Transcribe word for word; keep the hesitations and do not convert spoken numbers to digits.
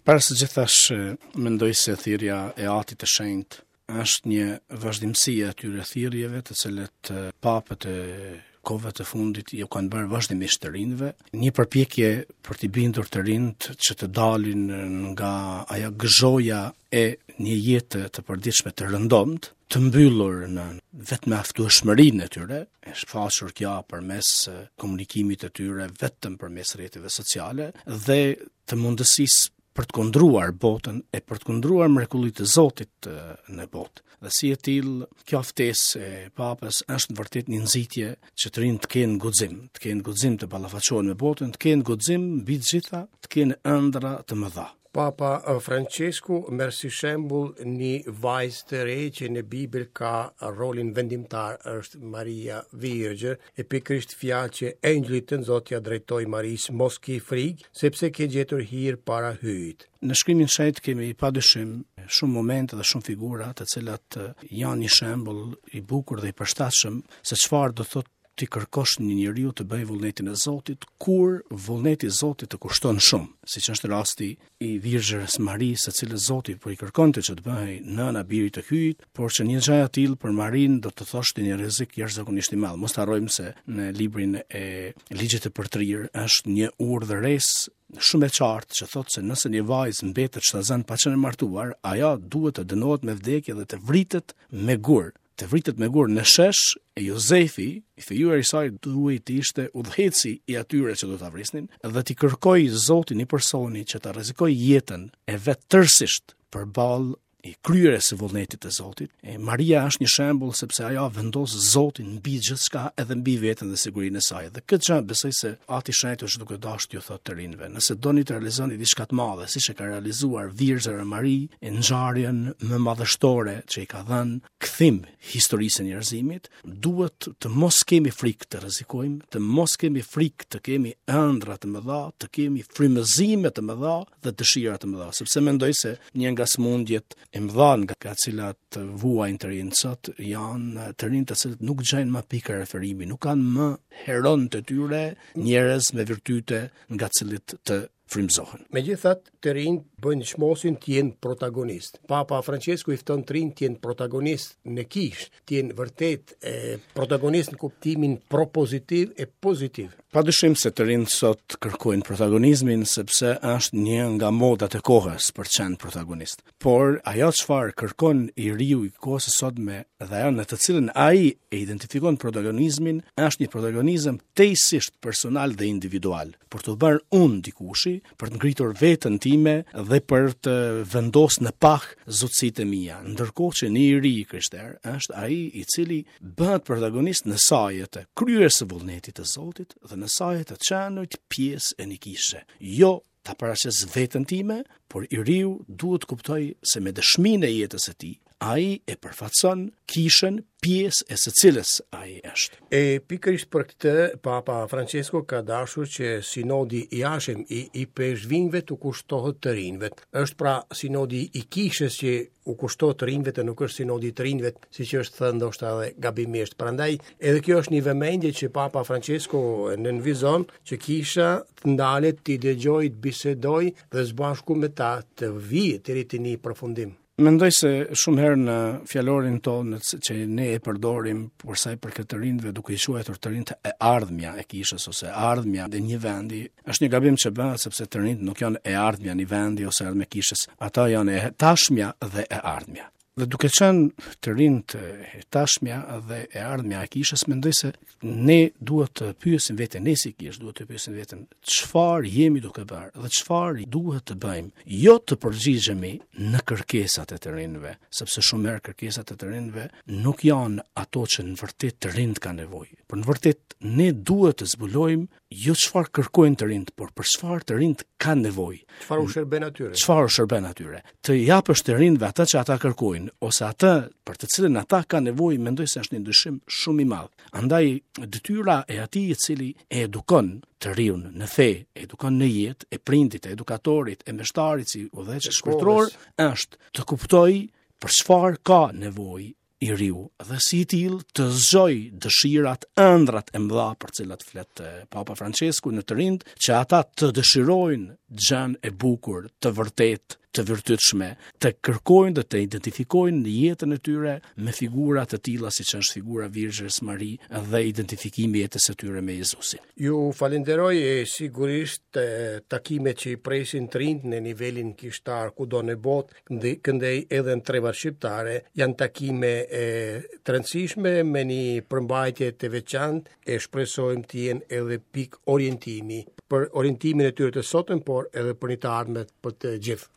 Para së gjithash, mendoj se thirrja e Atit të Shenjtë është një vazhdimësi e atyre thirrjeve të cilët papët e kohëve të fundit ju kanë bërë vazhdimisht të rinjve, një përpjekje për t'i bindur të rinjt që të dalin nga ajo gëzhoja e një jete të përditshme të rëndomtë, të mbyllur në vetëm aftueshmërinë e tyre, e shfaqur kjo përmes komunikimit të tyre vetëm përmes rrjeteve sociale dhe të mundësisë për të kundruar botën e për të kundruar mrekullitë e Zotit në botë. Dhe si e tillë, kjo ftesë e Papës është në vërtet një nxitje që të rinjtë të kenë guxim, të kenë guxim të ballafaqohen me botën, të kenë guxim mbi të gjitha, të kenë ëndra të mëdha. Papa Francesku merr si shembull një vajzë të re që në Bibël ka rolin vendimtar, është Maria Virgjër, e pikërisht fjalë që engjëlli të Zotit ja drejtoi Marisë, mos ki frikë, sepse ke gjetur hir para Hyjit. Në shkrimin shenjt kemi padyshim shumë momente dhe shumë figura të cilat janë një shembull i bukur dhe i përshtatshëm se çfarë do thotë ti kërkosh një njeriu të bëjë vullnetin e Zotit, kur vullneti i Zotit të kushton shumë, siç është rasti i Virgjërës Marisë, së cilës Zoti po i kërkonte që të bëhej nëna birit të Hyjit, por që një gjë e tillë për Marinë do të thoshte një rrezik jashtëzakonisht i madh. Mos harrojmë se në librin e Ligjit të Përtrirë është një urdhëresë shumë e qartë që thotë se nëse një vajzë mbetet shtatzënë pa qenë martuar, ajo duhet të dënohet me vdekje dhe të vritet me gur. Të vritet me gur në shesh, e Jozefi, i fejuar i saj, duhej të ishte udhëheqësi i atyre që do ta vrisnin, dhe t'i kërkoj Zotin një personi që ta rrezikojë jetën e vet tërësisht përballë i kryerjes së vullnetit të Zotit. E Maria është një shembull sepse ajo vendos Zotin mbi gjithçka, edhe mbi veten dhe sigurinë e saj. Dhe këtë gjë besoj se Ati Shenjt është duke dashur t'ju thotë të rinjve, nëse doni të realizoni diçka të madhe, siç e ka realizuar Virgjëra Mari, e ngjarjen më madhështore që i ka dhënë kthim historisë së njerëzimit, duhet të mos kemi frikë të rrezikojmë, të mos kemi frikë të kemi ëndra të mëdha, të kemi frymëzime të mëdha dhe dëshira të mëdha, sepse mendoj se një nga sëmundjet e mëdha nga cilat vuajnë të rinjtë sot janë të rinjtë të cilët nuk gjejnë më pikë referimi, nuk kanë më heron të tyre, njerëz me virtyte nga cilët të frymëzohen. Megjithatë, të rinjtë bëjnë çmosin të jenë protagonist. Papa Francesku i fton të rinjtë të jenë protagonist në kishë, të jenë vërtet e, protagonist në kuptimin propozitiv e pozitiv. Padyshim se të rinjtë sot kërkojnë protagonizmin sepse është një nga modat e kohës për të qenë protagonist. Por ajo çfarë kërkon i riu i kohës së sotme dhe ajo në të cilën ai e identifikon protagonizmin është një protagonizëm tejsisht personal dhe individual, për të bërë unë dikushi, për të ngritur veten time dhe për të vendosur në pah zotësitë e mia. Ndërkohë që një i ri i krishter është ai i cili bëhet protagonist në saje të kryerjes së vullnetit të Zotit dhe në saje të qenit pjesë e një kishe. Jo ta paraqes veten time, por i riu duhet të kuptoj se me dëshminë e jetës së tij, ai e përfaqëson kishën, pjesë e së cilës ai është. E pikërisht për këtë, Papa Francesco ka dashur që sinodi i jashtëm i i peshvinjve të kushtohet të rinjve. Është pra sinodi i kishës që u kushtohet të rinjve, të nuk është sinodi i të rinjve, siç është thënë ndoshta edhe gabimisht. Prandaj edhe kjo është një vëmendje që Papa Francesco nënvizon që kisha të ndalet, të dëgjojë, të bisedojë dhe së bashku me ta të vijë deri te një përfundim. Mendoj se shumë herë në fjalorin tonë që ne e përdorim për sa i përket të rinjve, duke i quajtur të rinjtë e ardhmja e kishës ose e ardhmja e një vendi, është një gabim që bëhet sepse të rinjtë nuk janë e ardhmja një vendi ose ardhmja e kishës, ata janë e tashmja dhe e ardhmja. Dhe duke qenë të rinjtë e tashmja dhe e ardhmja e kishës, mendoj se ne duhet të pyesim veten, ne si kishë duhet të pyesim veten çfarë jemi duke bërë dhe çfarë duhet të bëjmë, jo të përgjigjemi në kërkesat e të rinjve, sepse shumë herë kërkesat e të rinjve nuk janë ato që në vërtet të rinjtë kanë nevojë. Por në vërtet ne duhet të zbulojmë jo çfarë kërkojnë të rinjtë, por për çfarë të rinjtë kanë nevojë. Çfarë u shërben atyre? Çfarë u shërben atyre? Të japësh të rinjve atë që ata kërkojnë ose atë për të cilën ata kanë nevojë, mendoj se është një ndryshim shumë i madh. Andaj detyra e atij i cili e edukon të riun në fe, e edukon në jetë, e prindit, e edukatorit, e meshtarit si udhëheqës shpirtëror, është të kuptojë për çfarë ka nevojë i riu dhe si i tillë të zgjoj dëshirat, ëndrat e mëdha për cilat flet Papa Francesku në të rinjt, që ata të dëshirojnë gjën e bukur, të vërtetë, të virtytshme, të kërkojnë dhe të identifikojnë në jetën e tyre me figura të tilla siç është figura Virgjërës Mari dhe identifikimi i jetës së tyre me Jezusin. Ju falenderoj e sigurisht takimet që i presin të rinjt në nivelin kishtar kudo në botë, këndej edhe në trevat shqiptare, janë takime e, të rëndësishme me një përmbajtje të veçantë e shpresojmë të jenë edhe pikë orientimi për orientimin e tyre të sotëm, por edhe për një të ardhme për të gjithë.